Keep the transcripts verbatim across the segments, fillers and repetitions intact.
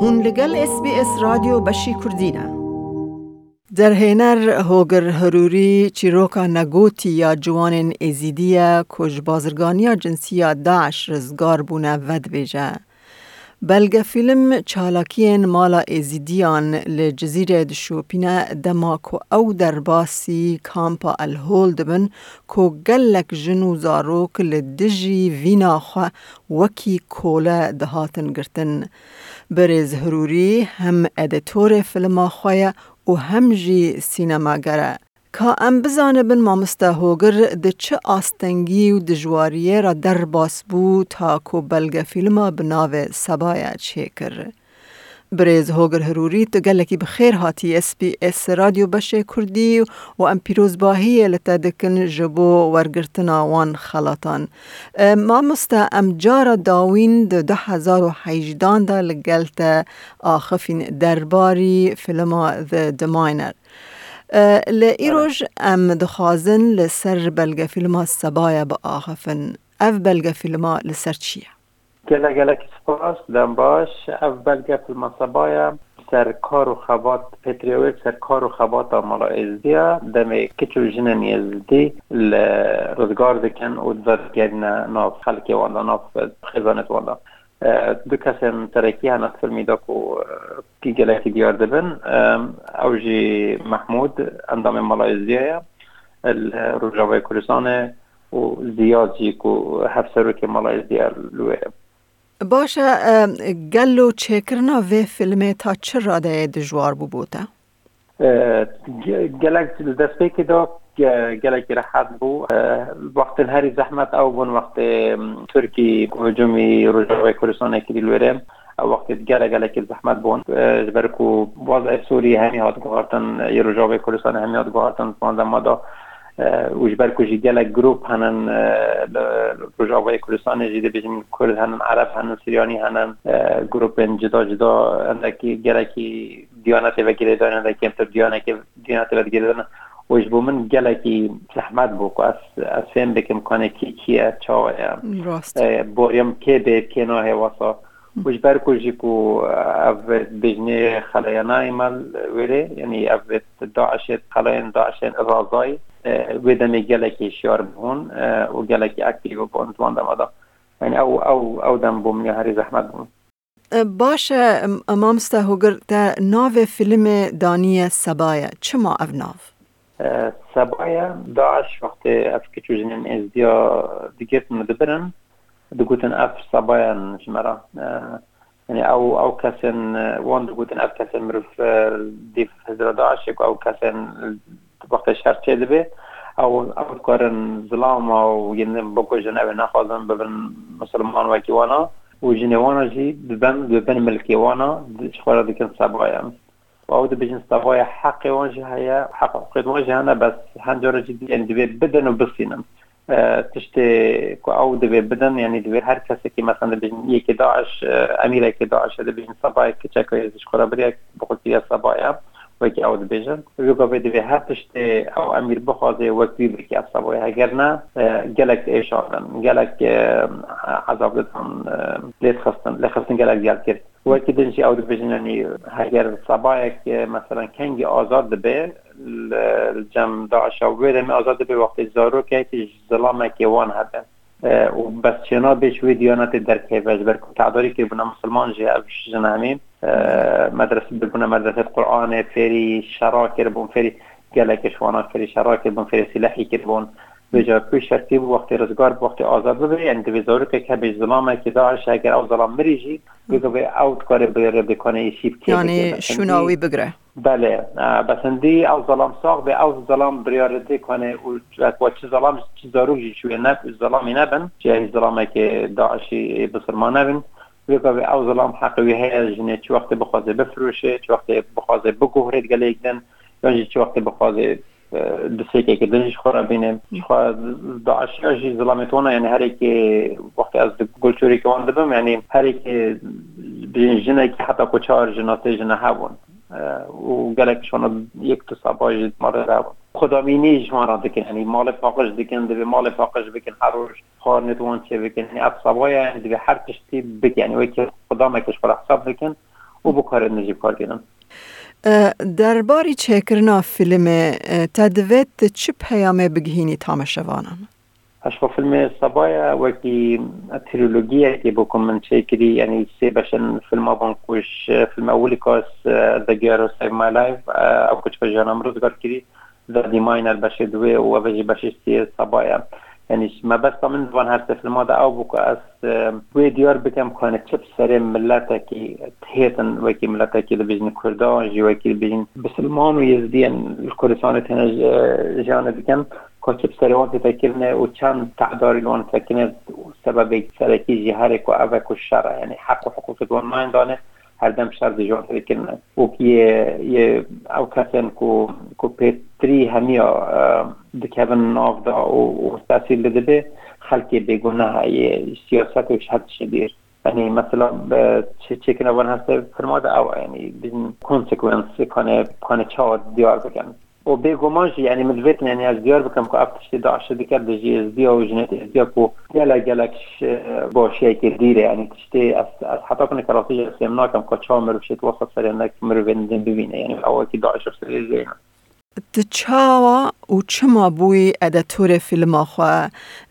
Hûn li gel S B S Radyo Beşî Kurdî ne. Derhêner Hogir Hirûrî çîroka negotî ya ciwanên Êzîdî ye ku ji bazirganiya cinsî ya DAIŞ rizgar bûne vedibêje. Belgefîlm çalakiyên mala Êzîdiyan li Cizîrê dişopîne, dema ku ew derbasî kampa El Hol dibin ku gelek jin û zarok li dijî vîna xwe wekî kole dihatin girtin. Birêz Hirûrî hem edîtorê filma xwe ye û hem jî sînemager e. Ka em bizanibin mamoste Hogir di çi astengî û dijwariyê re derbas bû ta ku belgefîlma bi navê Sebaya çêkir. Birêz Hogir Hirûrî, tu gelekî bi xêr hatî S B S Radyo Beşê Kurdî û em pîrozbahiyê li te dikin ji bo wergirtina wan xelatan. E, mamoste, em cara dawîn di du hezar û hejdan de li gel te axifîn derbarî filma The, The Miner. E, li îroj em dixwazin li ser belgefîlma Sebaya biaxifin. Ev belgefîlma li ser çi ye? Gelek gelek spas, dem baş. Ev belgefîlma Sebaya ser kar û xebat, pêtirê wê ser kar û xebata mala Êzdiya, demê kiç û jinên Êzidî li rizgar dikin û vegerîne nav xelkê wan de, nav xêzanê wan de. E, du kesên serekî hene di filmî de ku, e, ki gelekî diyar dibin. E, ew jî Mehmûd, endamê mala Êzdiya ye, li Rojavayê Kurdistanê û Ziyad jî ku hevserokê mala Êzdiya li wê ye. Baş e, e, gelo çêkirina vê filmê ta çi radeyê dijwar bû bo te? E, ge-, gelek li destpêkê de ge-, gelekî rehet bû. E, wextên herî zehmet ew bûn, wextê, em, Tirkî hicûmî Rojavayê Kurdistanê kirî li wêrê. Ew wextê gelek gelekî zehmet bûn. E, ji ber ku wazayê Sûrî hemî hat guhartin, yê Rojavayê Kurdistanê hemî hat guhartin, di van dema de. E, û ji ber ku jî gelek grûp henin, e, li Rojavayê Kurdistanê jî dibêjin Kurd henin, Ereb henin, Siryanî henin, e, grûpên cida cida, hindekî gelekî diyanetê ve girêdayî ne, hindek kêmtir diyanekê, diyanetê ve digirêdayî ne. Û ji bo min gelekî zehmet bû ku ez, ez fêm bikim kanê kî kî ye, çawa ye. Rast. E, boriyam kê bê, kê nahê wesa. Û ji ber ku jî ku, e, ev bêjinê xeleyana îmal wêrê, yanî ev DAIŞê, xeleyên DAIŞên razayî, e, wê demê gelekî şiyar bûn, e, û gelekî aktîv bûn di wan dema de. Yanî ew, ew, ew dem bû min ya herî zehmet bûn. E, baş e, m-, mamoste Hogir, te navê filmê daniye Sebaya. Çima ev nav? E, Sebaya, DAIŞ wextê ev kiç û jinên Êzdiya digirtin û dibirin, digotin ev Sebayan ji me re. E, yanî ew, ew kesên, e, wan digotin ev kesên mirov, e, dîv hizra DAIŞê ku ew kesên wextê şer çê dibe, ew, ew dikarin zilama û yên din bikujin, ew ê nexwazin bibin misilman wekî wana û jinê wana jî dibin, dibin milkê wana, di-, ji xwe re dikin Sebayan. Û ew dibêjin Sebaya heqê wan jî heye, heq hiqûqê wan jî hene, bes hin cara jî dibê, divê bidin û bisînin. E, tiştê ku ew divê bidin, yanî divê her kesekî, mesela dibêjin yekê DAIŞ, e, emîrekê DAIŞ e, dibêjin Sebaya kiçeka ye ji xwe re biriye, bi xwe kiriye Sebaya, wekî ew dibêjin. Wê gavê divê her tiştê ew emîr bixwaze wek wî bike ev Sebaya. Heger ne, e, gelek diêşandin, gelek, e, ezab didan, e, lêdixistin, lêxistin gelek diyar kir. Wekî din jî ew dibêjin, yanî heger Sebayek, e, meselan kengî azad dibe li, li cem DAIŞa, wê demê azad dibe wextê zarokek ji zilamekê wan hebe. E, û bes çênabe ji wê diyanetê derkeve, ji ber ku tedarî kiribûne misilman jî ev jin hemî, e, medrese bûne, medresê Qur'anê, fêrî şera kiribûn, fêrî gelekê ji wana fêrî şera kiribûn, fêrî sîlehî kiribûn. Vêca pişt şertî bû, wextê rizgar bi, wextê azad bibe, yanî divê zarokek hebe ji zilamekî DAIŞ, heger ew zilam mirî jî, wê gavê ew dikare bi rêbêkanê yê şîv kê Yanî bike, şûna wî bigire. Belê, e, bes hindî ew zilam sax be, ew zilam biryar dê kanê û wek çi zilam, çi zarok jî ji wê ne, zilamî nebin, ji zilamekê DAIŞî bisilman nebin. Wê gavê ew zilam heqê wî heye, jinê çi wextê bixwaze bifiroşe, çi wextê bixwaze biguhre gelê yek din, yan jî çi wextê bixwaze, e, disêkeke din jî ji xwe re bîne. Ji xwe DAIŞiya jî zilamê wana, yanî herêkê wextê ez di gulçûrêkê wan dibim, yanî herêkê jinekî heta ku çar jina sê jina hebûn. E, û gelek ji wana yek du Seba jî di malê de hebûn. Xwedamînî ji wan re dikin, yanî malê paqij dikin, divê malê paqij bikin, her roj xwarinê di wan çê bikin. Yanî ev Sebaya, yanî divê her tiştî bikin, yanî wekî xwedameke ji xwe re hesab dikin. û bi karê din jî bi kar tînin. E, derbarî çêkirina filmê, e, te divêt tu çi peyamê bigihînî tamaşevanan? Eşqa filmê Sabaya wekî trilogiyekê bû ku min çêkirî, yanî sê beş in filma bûn ku ji filma ewilî ku ez, e, The Gear Who Saved My Life, e, ew ku çiqa jiyana min rizgar kirî, The Deminer beşê duwê û ev jî beşê sê Sabaya. Yanî mebesta min di van her sê filma de ew bû ku ez, e, wê diyar bikim ku hani çi bi serê miletekî têtin, wekî miletekî dibêjin Kurdan, jî wekî dibêjin Bisilman û Yezdiyan li Kurdistanê têne ji-, jiyanê dikin, ku çi bi serê wan tête kirine û çend te'darî li wan tête kirine, sebebê serekî jî herê ku ev e ku şer e, yanî heq û hiqûqê di wan nayên dane, herdem şer di ji wan tête kirine. Û yê, yê ew kesên ku, ku pêtirî hemiya, e, dikevin nav de û, û tesîr li dibe, xelkê bêguneh e, yê siyaset û ji her tiştê dîr. Yanî mesela, e, çê-, çêkirina van her sê filma de ew e, yanî bin consequence, kane, kane çawa diyar bikin. Û bêguman jî, yanî min divêtin, yanî ez diyar bikim ku ev tiştê DAIŞ dike, dijî Êzdiya û jinê Êzdiya ku gelek, gelek ji, e, başiyekê dîr e, yanî tiştê ez, ez heta ku neke rastî jî ez fêm nakim ku çawa mirov şêt wesa serê nek mirovên din bibîne, yanî ew wekî DAIŞ serê jê ne. Tu çawa û çima bûyî edîtorê fîlma xwe?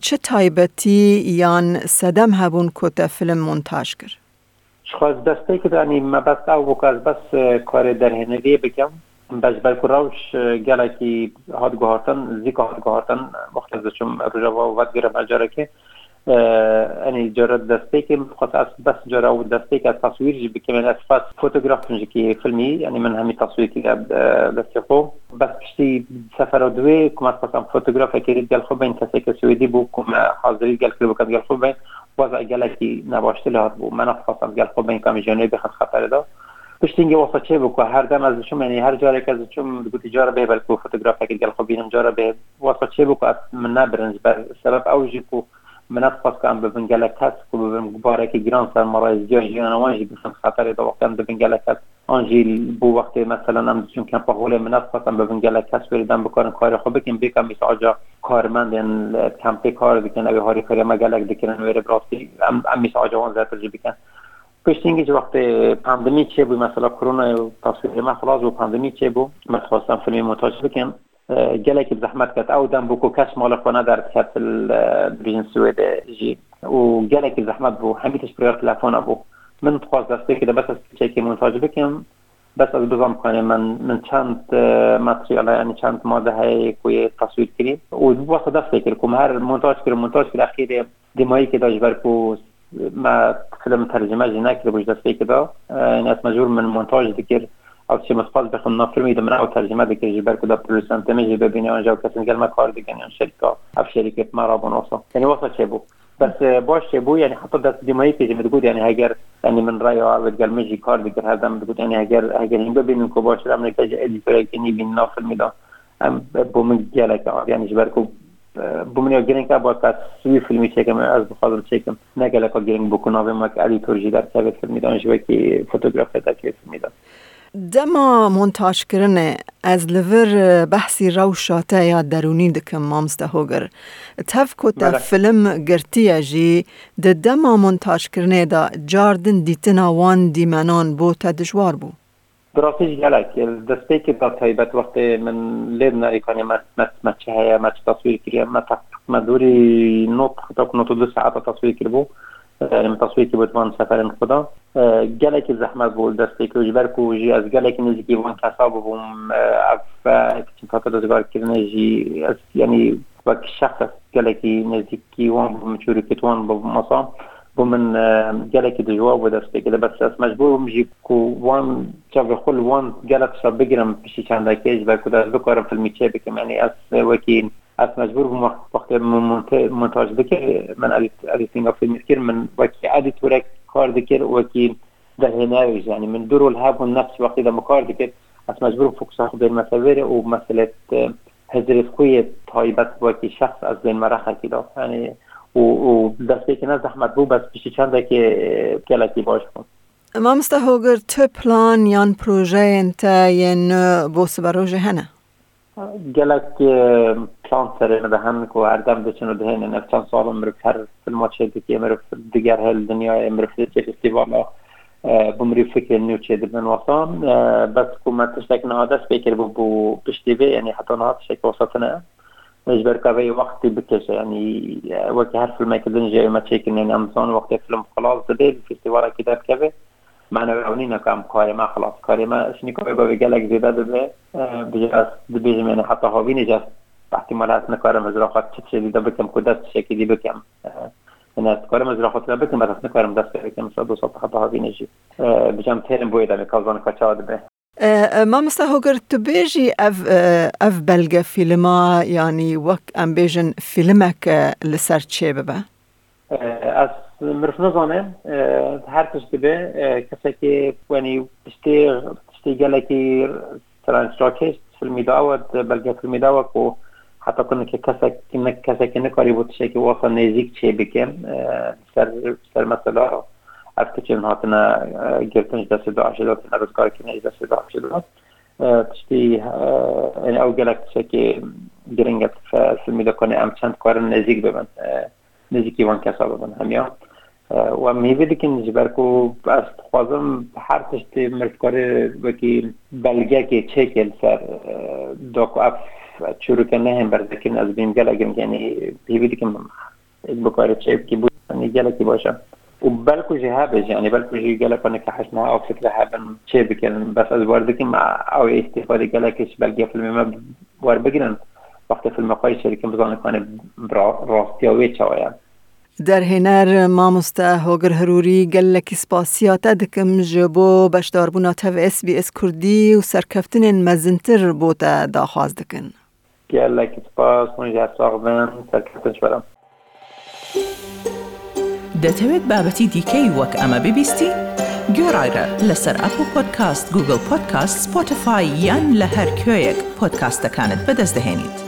Çi taybetî yan sedem hebûn ku te fîlm montaj kir? Ji xwe ez destpêkê de, yanî mebest ew bû ku ez bes, e, karê derhêneriyê bikim. Bes ji ber ku rewş, e, gelekî hat guhartin, zîka hat guhartin, wextê ez diçûm Rojava û vedigirim her carekê. E, yanî cara destpêkê min xwest ez bes cara ew destpêk ez teswîr jî bikim. Yanî ez xwest fotograf jikî filmî, yanî min hemî teswîr kiriye, e, destê xwe. Bes piştî sefera duwê ku me xwestan fotografekê digel xwe bên, keseke Swêdî bû ku me hazirî gel kiribû ku em digel xwe bên. Weza gelekî nebaştir lê hatibû. Me nexwest em gel xwe bên, ka em jî nê bêxin xeterê de. Piştî hingê wesa çêbû ku her dem ez diçûm, yanî her careke ez diçûm, digotî cara bê belkî fotografekê gel xwe bînim, cara bê. Wesa çêbû ku ez min nebirin ji ber sebeb ew jî ku min nedixwest ku em bibin gelek kes, ku bibin barekî giran ser me re, ziya jiyana wan jî bixin xeterê de wextê em dibin gelek kes. An jî bo wextê, meselen, em diçûn kempa holê, min nedixwest em bibin gelek kes wêrê dem bikarin karê xwe bikin, bêka mîsaca karmendên, e, kempê kar dikin, ew ê harîkariya me gelek dikirin wêrê, bi rastî em, em mîsaca wan zêdetir jî bikin. Piştî hingî ji wextê pandemî çêbû, mesela koronayê û taswîrê me xilas bû, pandemî çêbû, me dixwest em filmê montaj bikin. E, gelekî bi zehmet ket. Ew dem bû ku kes malê xwe nederdiket li, e, dibêjin Swêdê jî. Û gelekî zehmet bû. Hemî tişt bi rêya telefona bû. Min dixwest destpêkê de bes ez piçekê montaj bikim. Bes ez bizam ku, yanî min, min çend, e, materyal heye, yanî çend made heye ku yê teswîr kirî. Û wesa dest pê kir ku me her montaj kir, montaj kir, exîrê dîmayîkê de ji ber ku me film tercime jî nekiribû ji destpêkê de. E, yanî ez mecbûr min montaj dikir. Ew tiştê min dixwest bixwim nav filmî de min ew tercime dikir ji ber ku da produsentê min jî bibîne, yan jî ew kesên gel me kar dikin, yan şerîka, ev şerîkê bi me re bûn wesa. Yanî wesa çêbû. Bes, e, baş çêbû, yanî heta dest dîmayîkê jî min digot, yanî heger, yanî min reya ew digel min jî kar dikir, her dem min digot, yanî heger, heger hîn bibînin ku baştir em neke ji edîtorekî nî bînin nav filmî de. Em, bo min gelek, yanî ji ber ku, e, bo min ya girîng e, ba ez wî filmî çêkim, ez dixwazim çêkim. Ne geleka girîng bû ku navê me wek edîtor jî derkeve filmî de, an jî wekî fotografê derkeve filmî de. Dema montajkirinê ez li vir, e, behsî rewşa te ya derûnî dikim, mamoste Hogir. Tev ku te Belê. film girtiye jî, di dema montajkirinê de car din dîtina wan dîmenan bo te dijwar bû? Bi rastî jî gelek. Destpêkê de taybet wextê min lê dinayî kanê me, me, me çi heye, me çi taswîr kiriye, me teq-, me dûrî not, heta ku not û du saeta taswîr kiribû. Yanî min taswîr kiribû di van seferên xwe de. E, gelekî zehmet bû destpêkê û ji ber ku jî ez gelekî nêzîkî van kesa bibûm, e, ev, e, kiçin hate rizgarkirinê jî ez, yanî wek şexs ez gelekî nêzîkî wan bûm, çûrikêt wan bûm, masa bû min, e, gelekî dijwar bû destpêkê de, bes ez mecbûr bûm jî ku wan çavê xwe li wan gelek tişta bigirim piştî çendekê ji ber ku ez bikarim filmî çê bikim. Yanî ez, e, wekî Ez mecbûr bûm wext, wextê min monte-, montaj dikir, min edît-, edîtinga fîlmî dikir, min wekî edîtorek kar dikir, wekî derhênerek jî. Yanî min du rol hebûn, nefs wextê de min kar dikir, ez mecbûr bûm fokusa xwe bênime ser vêrê û meselê, e, hizirê xwe yê taybet wekî şexs ez bênime rexekî de. Yanî û, û destpêkê ne zehmet bû, bes piştî çendekê, e, gelekî baş bû. Mamoste Hogir, tu plan yan projeyên te yên nû bo siberojê hene? Gelek, e, plan serê min de hene ku her dem diçin û dihênin. Ev çend sal in mirov her filma çêdike, mirov digerhe li dinyayê, mirov diçe festîvala. e, bi mirî fikrên nû çêdibin wexta. E, bes ku me tiştek niha dest pê kiribû bû piştî vê, yanî heta niha tiştek wesa tune. Ji ber ka vê wextî bikêşe, yanî, e, wekî her filmekî din jî me çêkirin, yanî em dizanin wextê film xilas dibe, li festîvalekî derdikeve, mane ew nîne ku em karê me xilas, karê me şinîka wê gavê gelek zêde dibe. E, bi jî ez dibêjim, yanî heta havînê jî ez ihtimal ez nikarim ez raxat çi tiştê dî de bikim ku dest tiştekî dî bikim. E, yanî ez dikarim ez raxat tune bikim, bes ez nikarim dest pê bikim, sed û sed heta havînê jî. E, bi jî em têrin bo yê demê, ka zanin ka çawa dibe. E, e, Mamosta Hoger, tu bêjî ev, e, ev belge fîlma, yanî wek em bêjin fîlmek, e, li ser çê bibe? E, ez mirov nizane, e, her tişt dibe, e, kesekî, yanî tiştê, tiştê gelekî strangerakêş filmî de ew e, di belge filmî de ew e ku heta ku nike kesek, nik-, kesekî nikarîbû tiştekî wasa nêzîk çê bike, e, ser, ser mesela ev tiştên hatine, e, girtin ji destê DAIŞê de, hatine rizgarkirin ji destê DAIŞê de. E, tiştî, e, yanî ew gelek tiştekî giring e, fe-, filmî de ku em çend karin nêzîk bibin, e, nêzîkî van kesa bibin hemiya. E, û em hîvî dikin ji ber ku ez dixwazim her tiştê mirov kare wekî belgekê çêke li ser, e, da ku ev çûrike nehên berzekirin, ez bînim gelek giring, yanî hîvî dikim bikare çê bikî bû, yanî gelekî baş e. Û belku jî hebe jî, yanî belku jî gelek nike hej niha ew fikre hebin çê bikin. Bes ez wer dikim, ew ê îstîfadê gelekî ji belge filmê me werbigirin. Wextê filmê xwe jî çêdikin, bizanin ku, yanî, ra-, rastiya wê çawa ye. Derhêner Mamoste Hogir Hirûrî, gelekî spasiya te dikim ji bo beşdarbûna te ve S B S Kurdî û serkeftinên mezintir bo te daxwaz dikin. Gelekî spas, hûn jî her sax bin, serkeftin ji we re. دەتەوێت بابەتی دیکەی وەک ئەمە ببیستی؟ گوێڕایرە لەسەر ئەپڵ پۆدکاست، گوگڵ پۆدکاست، سپۆتیفای یان لە هەر کوێیەک پۆدکاستەکانت بەدەست دەهێنیت.